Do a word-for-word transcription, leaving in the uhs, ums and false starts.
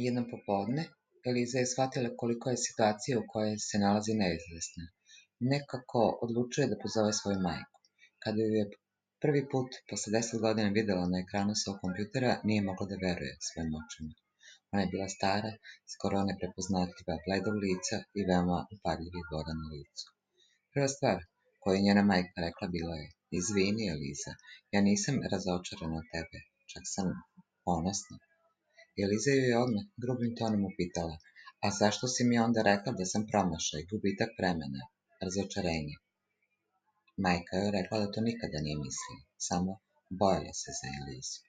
Jednom popodne, Eliza je shvatila koliko je situacija u kojoj se nalazi neizvesna. Nekako odlučuje da pozove svoju majku. Kada ju je prvi put posle deset godina videla na ekranu svog kompjutera, nije mogla da veruje svojim očima. Ona je bila stara, skoro neprepoznatljiva, bledog lica i veoma upadljivih boda na licu. Prva stvar koju je njena majka rekla bila je: "Izvini, Eliza, ja nisam razočarana od tebe, čak sam ponosna." Eliza ju je odmah grubim tonom upitala: "A zašto si mi onda rekla da sam promašaj, gubitak vremena, razočarenje?" Majka je rekla da to nikada nije mislila, samo bojala se za Elizu.